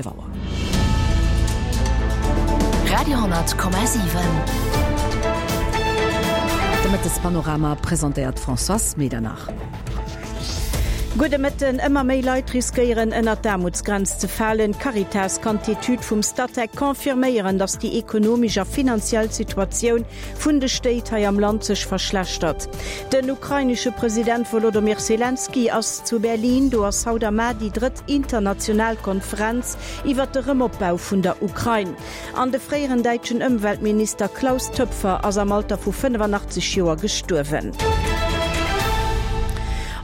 Auer. Radio,7. De Mëttespanorama presentéiert d'Françoise Medernach. Gudde Mëtten. Ëmmer méi Leit riskéieren ënnert d'Aarmutsgrenz ze falen. D'Caritas kann d'Etüd vum Statec confirméieren, datt déi ekonomesch a finanziell Situatioun vun de Stéit hei am Land sech verschlechtert. Den ukrainesche President Wolodomyr Selenskyj ass zu Berlin. Do ass haut a mar déi drëtt international Konferenz iwwer de Rëmopbau vun der Ukrain. An de fréieren däitschen Ëmweltminister Klaus Töpfer ass am Alter vu 85 Joer gestuerwen.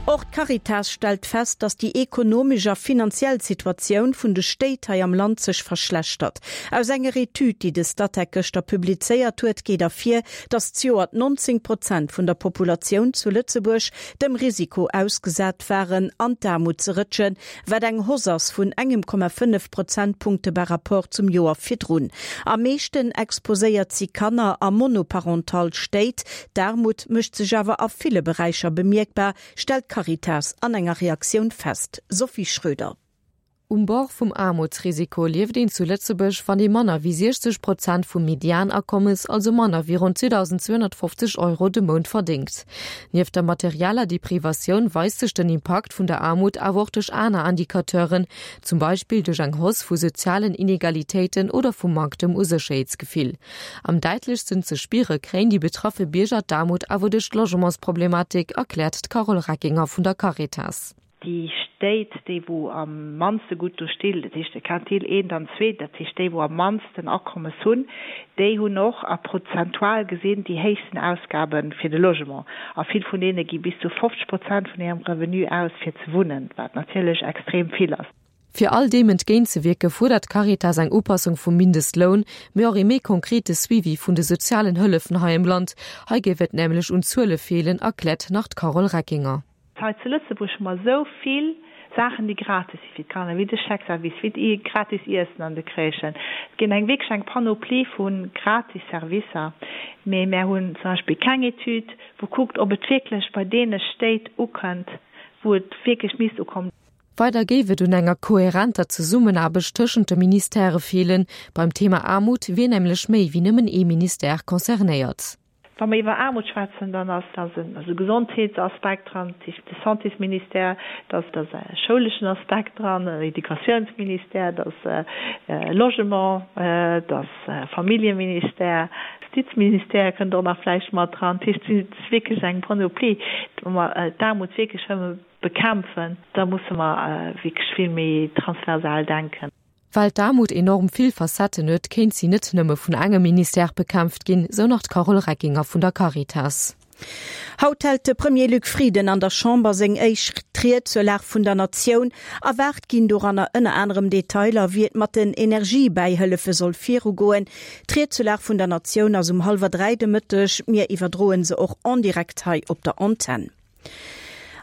Och d'Caritas stellt fest, datt déi ekonomesch a finanziell Situatioun vun de Stéit hei am Land sech verschlechtert. Aus enger Etüd, déi de Statec gëschter publizéiert huet, geet ervir, datt zejoert 19 Prozent vun der Populatioun zu Lëtzebuerg dem Risiko ausgesat waren, an d'Aarmut ze rëtschen, wat eng Hausse ass vun engem Komma 5 Prozentpunkte par rapport zum Joer virdrun. Am meeschten exposéiert si Kanner a monoparental Stéit. D'Aarmut mécht sech awer a ville Beräicher bemierkbar, stellt d'Caritas an enger Reaktioun fest. Sophie Schröder. Um Bord vum Aarmutsrisiko lieft een zu Lëtzebuerg, wann ee manner wéi 60 Prozent vum Medianakommes, also manner wéi ronn 2.250 Euro de Mount verdéngt. Nieft der materieller Deprivatioun weist sech den Impakt vun der Aarmut awer och duerch aner Indicateuren, zum Beispill duerch eng Hausse vu sozialen Inegalitéiten oder vum Manktem u Sécherheetsgefill. Am däitlechsten ze spiere kréien déi betraffe Bierger d'Aarmut awer duerch d'Logementsproblematik, erkläert d'Carole Reckinger vun der Caritas. Déi Stéit, déi wou am mannste gutt do stinn, dat heescht de Quintil eent an zwee, dat heescht déi wou am mannsten Akommes hunn, déi hunn och a prozentual gesinn déi héichsten Ausgabe fir de Logement. A vill vun deene gi bis zu 50 Prozent vun hirem Revenu aus fir ze wunnen, wat natierlech extrem vill ass. Fir all deem entgéintzewierke fuerdert d'Caritas eng Upassung vum Mindestloun, mee och ee méi konkrete Suivi vun de sozialen Hëllefen hei am Land. Hei géif et nämlech un Zuele feelen, erkläert nach d'Carole Reckinger. Hei zu Lëtzebuerg hu mer esou vill Saachen, déi gratis si fir d'Kanner, wéi de Chèque-service, wéi d'gratis Iessen an de Crèchen. Et ginn eng wierklech eng Panoplie vu gratis Servicer. Mee mär hunn zum Beispill keng Etüd, wou kuckt, ob et wierklech bei deene Stéit ukënnt, wou et wierklech misst ukommen. Weider géif et un enger kohärenter Zesummenaarbecht tëschent de Ministèrë feelen. Beim Thema Aarmut wier nämlech méi wéi nëmmen ee Ministère concernéiert. Wa mer iwwer Aarmut schwätzen, dann ass da e Gesondheetsaspekt dran, dat heescht de Santésministère, da ass e schouleschen Aspekt dran, den Educatiounsministère, da ass Logement, da ass Familljeministère, Justizministère kënnt och nach vläicht mat dran. Dat heescht, et ass wierklech eng Panoplie. Wa mer d'Aarmut wierklech wëlle bekämpfen, da musse mer wierklech vill méi transversal denken. Well d'Aarmut enorm vill Facetten huet, kéint si net nëmme vun engem Ministère bekämpft ginn, sou nach d'Carole Reckinger vun der Caritas. Haut hält de Premier Luc Frieden an der Chamber seng éischt Ried zur Lag vun der Natioun. Erwaart ginn doranner ënner anerem Detailer, wéi et mat den Energiebäihëllefe soll virugoen. D'Ried zur Lag vun der Natioun ass um hallwer 3 de Mëtteg. Mir iwwerdroen se och en direct hei op der Antenn.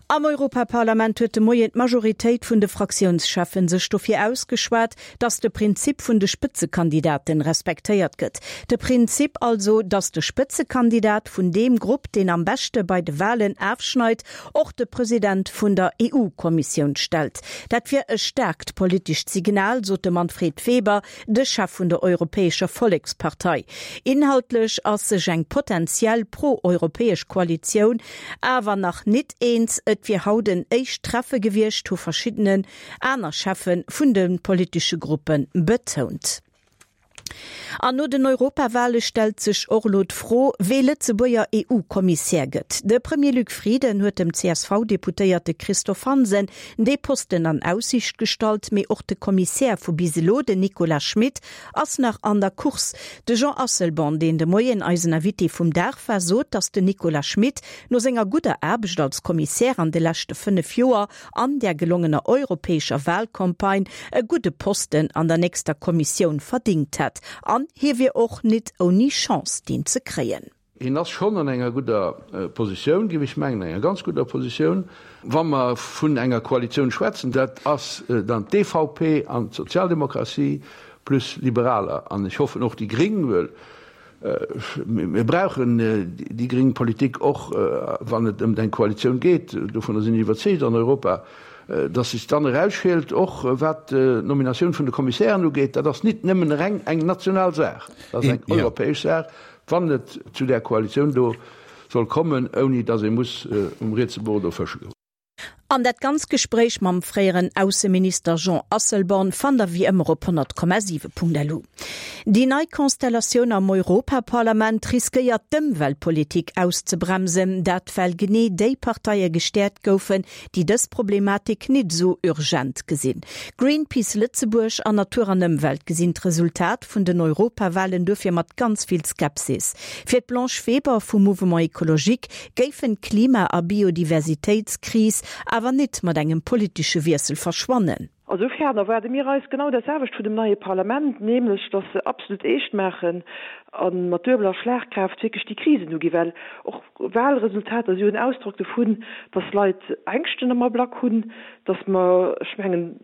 Am Europaparlament huet de Moien d'Majoritéit vun de Fraktiounscheffen sech dofir ausgeschwat, datt de Prinzip vun de Spëtzekandidaten respektéiert gëtt. De Prinzip also, datt de Spëtzekandidat vun deem Grupp, deen am beschte bei de Walen afschneit, och de President vun der EU-Kommissioun stellt. Dat wier e staarkt politescht Signal, sot de Manfred Weber, de Chef vun der Europäescher Vollekspartei. Inhaltlech ass sech eng potentiell pro-europäesch Koalitioun awer nach nit eens. Et wier haut en éischt Treffe gewiescht, hu verschiddene aner Cheffe vun de politesche Gruppe betount. An no den Europawale stellt sech och elo d'Fro, wee Lëtzebuerger EU-Kommissär gëtt. De Premier Luc Frieden huet dem CSV-Deputéierte Christophe Hansen dee Posten an Aussiicht gestallt, mee och de Kommissär vu bis elo, den Nicolas Schmit, ass nach an der Course. De Jean Asselborn, deen de Moien eisen Invité vum Dag war, sot, datt den Nicolas Schmit no senger gudder Aarbecht als Kommissär an de leschte 5 Joer an där gelongener europäescher Wahlcampagne e gudde Posten an der nächster Kommissioun verdingt hätt. An hie wier och nit ouni Chance, deen ze kréien. Hien ass schonn an enger gudder Positioun, géif ech mengen, enger ganz gudder Positioun. Wa mer vun enger Koalitioun schwätzen, dat ass dann d'EVP an d'Sozialdemokratie plus Liberaler an ech hoffen och déi Gring, well mir brauchen déi gring Politik och, wann et ëm eng Koalitioun geet. Dovunner sinn ech iwwerzeegt an Europa. Datt sech dann erausschielt, och wat d'Nominatioun vun de Kommissären ugeet, dat ass nit nëmmen reng eng national Saach, dat ass eng europäesch Saach, wann et zu där Koalitioun do soll kommen, ouni datt ee muss um rietse Bord do fësche goen. An dat ganz Gespréich mam fréieren Ausseminister Jean Asselborn fannt der wéi ëmmer op 100,7.lu. Déi nei Konstellatioun am Europaparlament riskéiert d'Ëmweltpolitik auszebremsen, dat well genee déi Parteie gestäerkt goufen, déi dës Problematik nit esou urgent gesinn. Greenpeace Lëtzebuerg an Natur an Ëmwelt gesinn d'Resultat vun den Europawahlen duerfir mat ganz vill Skepsis. Fir d'Blanche Weber vum Mouvement Ecologique géifen d'Klima a Biodiversitéitskris awer nit mat engem politesche Wiessel verschwannen. A soufern erwaarde mir eis genau dat selwecht vun dem neie Parlament, nämlech datt se absolut eescht maachen a mat duebeler Schlagkraaft wierklech déi Krisen uginn, well och Wahlresultater si jo en Ausdrock dovun, datt Leit Ängschten am Ablack hunn, datt mer, ech mengen,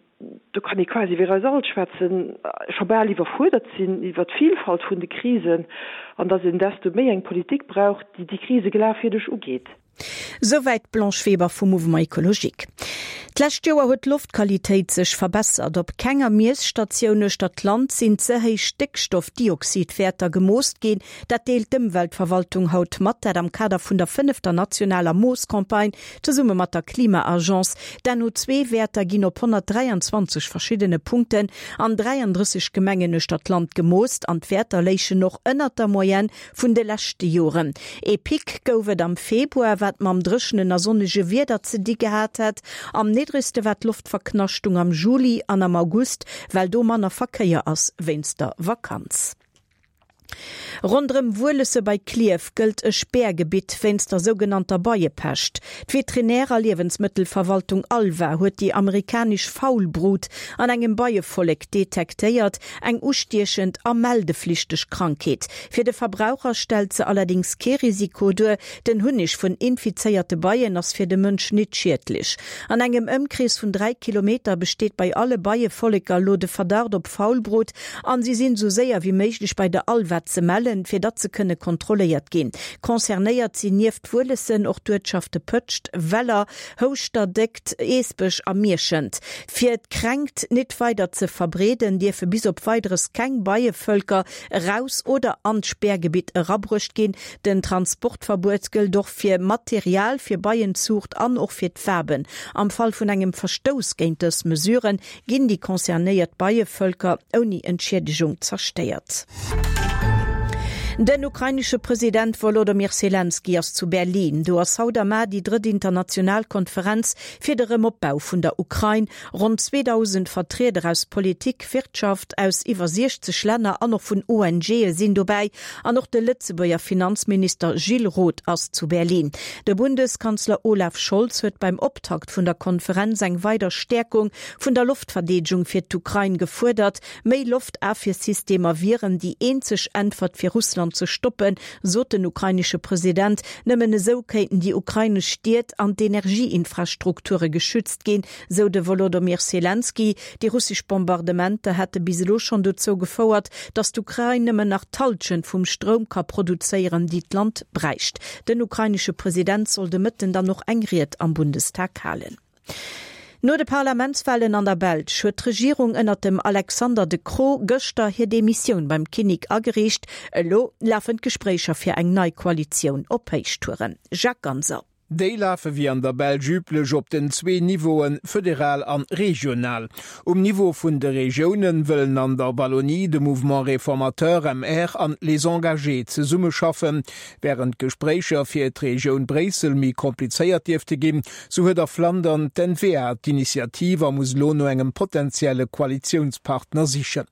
do kann ee quasi iwwer eis all schwätzen, scho bal iwwerfuerdert sinn iwwer d'Vilfalt vun de Krisen an datt een desto méi eng Politik brauch, déi déi Krise glafwierdeg ugeet. Souwäit d'Blanche Weber vum Mouvement Ecologique. D'lescht Joer huet d'Loftqualitéit sech verbessert. Op kenger Miesstatioun uechter d'Land sinn ze héich Stéckstoffdioxidwäerter gemoost ginn. Dat deelt d'Ëmweltverwaltung haut mat, dat am Kader vun der fënnefter nationaler Moosscampagne zesumme mat der Klima-Agence. D'NO2-Wäerter ginn op 123 verschiddene Punkten an 33 Gemengen uechter d'Land gemoost an d'Wäerter léichen och ënnert der Moyenne Vun de leschte Joren. Ee Pic gouf et am Februar, wat mam dréchenen a sonnege Wieder ze di gehat hätt. Am niddregste war d'Loftverknaschtung am Juli an am August, well do manner Verkéier ass wéinst der Vakanz. Ronderëm Wuelesse bei Klierf gëllt e Spärgebitt wéinst der sougenannter Beiepescht. D'Veterinär a Liewensmëttelverwaltung ALVA huet déi amerikanesch Faulbrut an engem Beievollek detektéiert. Eng ustiechend a meldeflichteg Krankheet. Fir de Verbraucher stellt se allerdéngs kee Risiko duer, den Hunneg vun infizéierte Beien ass fir de Mënsch nit schiedlech. An engem Ëmkrees vun 3 Kilometer besteet bei alle Beievolleker lo de Verdacht op Faulbrut an si sinn sou séier wéi méiglech bei der ALVA ze mellen, fir datt se kënne kontrolléiert ginn. Concernéiert sinn nieft Wuelessen och d'Uertschafte Pëtscht, Weller, Houschterdéckt, Eesbech a Mierschent. Fir d'Kränkt nit weider ze verbreeden, dierfe bis op Weideres keng Beievölker eraus oder an d'Spärgebitt erabruecht ginn. Den Transportverbuet gëllt och fir Material fir Beienzuucht an och fir d'Waben. Am Fall vun engem Verstouss géint dës Mesuren ginn déi concernéiert Beievölker ouni Entschiedegung zerstéiert. Den ukrainesche President Wolodomyr Selenskyj ass zu Berlin. Do ass haut a mar déi drëtt international Konferenz fir de Rëmopbau vun der Ukrain. Ronn 2.000 Vertrieder aus Politik, Wirtschaft, aus iwwer 60 Länner an och vun ONGe sinn dobäi. An och de Lëtzebuerger Finanzminister Gilles Roth ass zu Berlin. De Bundeskanzler Olaf Scholz huet beim Optakt vun der Konferenz eng weider Stäerkung vun der Loftverdeedegung fir d'Ukrain gefuerdert. Méi Loftafwiersystemer wieren déi eenzeg Äntwert fir Russland ze stoppen, sot den ukrainesche President. Nëmmen esou kéinten déi ukrainesch Stied an d'Energieinfrastrukture geschützt ginn, sou de Wolodomyr Selenskyj. Déi russesch Bombardementer hätte bis elo schonn dozou gefouert, datt d'Ukrain nëmmen nach d'Hallschent vum Stroum ka produzéieren, déi d'Land bräicht. Den ukrainesche President soll de Mëtten dann och eng Ried am Bundestag halen. No de Parlamentswalen an der Belsch huet d'Regierung ënnert dem Alexander De Croo gëschter hir Demissioun beim Kinnek agereecht. Elo lafen d'Gespréicher fir eng nei Koalitioun op Héichtouren. Jacques Ganser. Déi lafe wéi an der Belsch üblech op den zwee Niveauen, föderal an regional. Um Niveau vun de Regiounen wëllen an der Wallonie de Mouvement Réformateur, MR, an Les Engagés zesummeschaffen. Wärend d'Gespréicher fir d'Regioun Bréissel méi komplizéiert dierfte ginn, sou huet a Flandern d'N-VA d'Initiativ a muss elo no engem potentielle Koalitiounspartner sichen.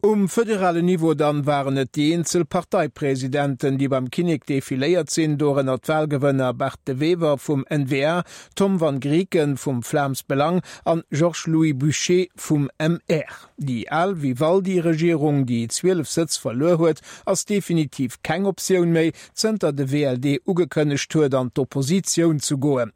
Um föderalen Niveau dann waren et déi eenzel Parteipresidenten, déi beim Kinnek defiléiert sinn, dorënner d'Wahlgewënner Bart De Wever vum N-VA, Tom Van Grieken vum Vlaams Belang an Georges-Louis Bouchez vum MR. Déi al Vivaldi-Regierung, déi 12 Sëtz verluer huet, ass definitiv keng Optioun méi, zënter de WLD ugekënnegt huet, an d'Oppositioun ze goen.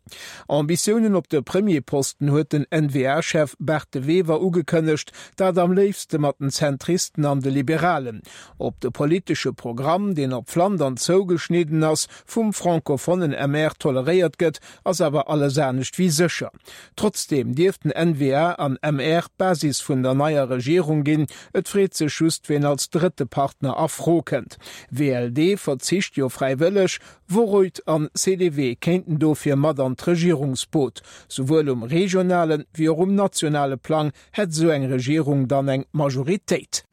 Ambitiounen op de Premierposten huet den N-VA-Chef Bart De Wever ugekënnegt, dat am léifste mat den. den Zentristen an de Liberalen. Ob de politesche Programm, deen op Flandern zougeschnidden ass, vum francophonen MR toleréiert gëtt, ass awer alles anescht wéi sécher. Trotzdeem dierften N-VA an MR d'Basis vun der neier Regierung ginn. Et freet sech just, ween als drëtte Partner a Fro kënnt. WLD verzicht jo fräiwëlleg, Vooruit an CDW kéinten dofir mat an d'Regierungsboot. Souwuel um regionale wéi och um nationale Plang hätt esou eng Regierung dann eng Majoritéit.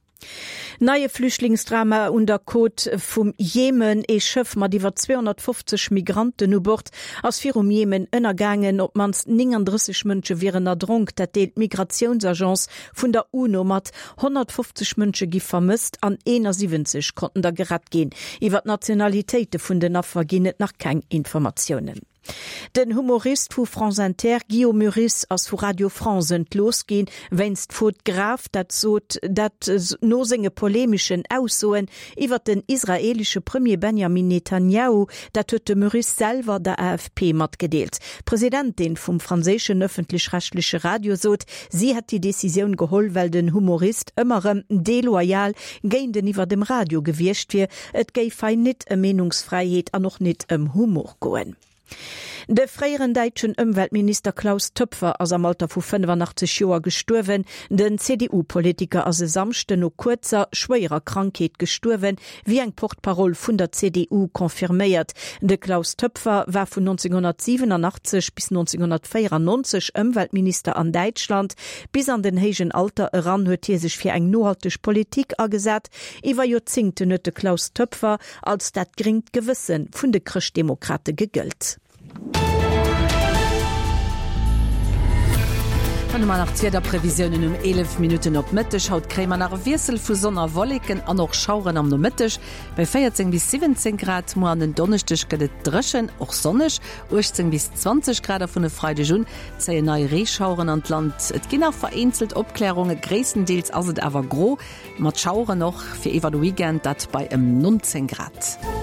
Neie Flüchtlingsdrama un der Côte vum Jemen, Ee Schëff mat iwwer 250 Migranten u Bord ass virum Jemen ënnergaangen. Op d'mannst 39 Mënsche wieren erdronk, dat deelt d'Migratiounsagence vun der UNO mat. 150 Mënsche gi vermësst an 71 konnten der gerett ginn. Iwwer d'Nationalitéite vun den Affer ginn et nach keng Informatiounen. Den Humorist vu France Inter Guillaume Meurice ass vu Radio France entlooss ginn, wéinst Faute grave, dat sot dat no senge polemeschen Aussoen iwwer den israeelesche Premier Benjamin Netanjahu. Dat huet de Meurice selwer der AFP matgedeelt. D'Presidentin vum franséischen ëffentlech-rechtleche Radio sot, si hätt déi Decisioun geholl, well den Humorist ëmmer erëm deloyal géinteniwwer dem Radio gewiescht wier. Et géif hei nit ëm Meenungsfräiheet an och nit ëm Humor goen. De fréieren däitschen Ëmweltminister Klaus Töpfer ass am Alter vu 85 Joer gestuerwen. Den CDU-Politiker ass e Samschden no kuerzer, schwéierer Krankheet gestuerwen, wéi eng Porte-parole vun der CDU confirméiert. De Klaus Töpfer war vun 1987 bis 1994 Ëmweltminister an Däitschland. Bis an den héijen Alter eran huet hie sech fir eng nohalteg Politik agesat. Iwwer Joerzéngten huet de Klaus Töpfer als dat gréngt Gewësse vun de Chrëschtdemokrate gegëllt. Dann hu mer nach d'Wiederprevisiounen um 11 Minutten op Mëtteg. Haut kréie mer nach e Wiessel vu Sonn a Wolleken an och Schaueren am Nomëtteg bei 14 bis 17 Grad. Muer an den Donneschdeg gëtt et dréchen, och sonneg, 18 bis 20 Grad a vun e Freideg un zéien nei Reeschaueren an d'Land. Et ginn nach vereenzelt Opklärungen, gréisstendeels ass et awer gro. Mat Schaueren och fir iwwer de Weekend, dat bei ëm 19 Grad.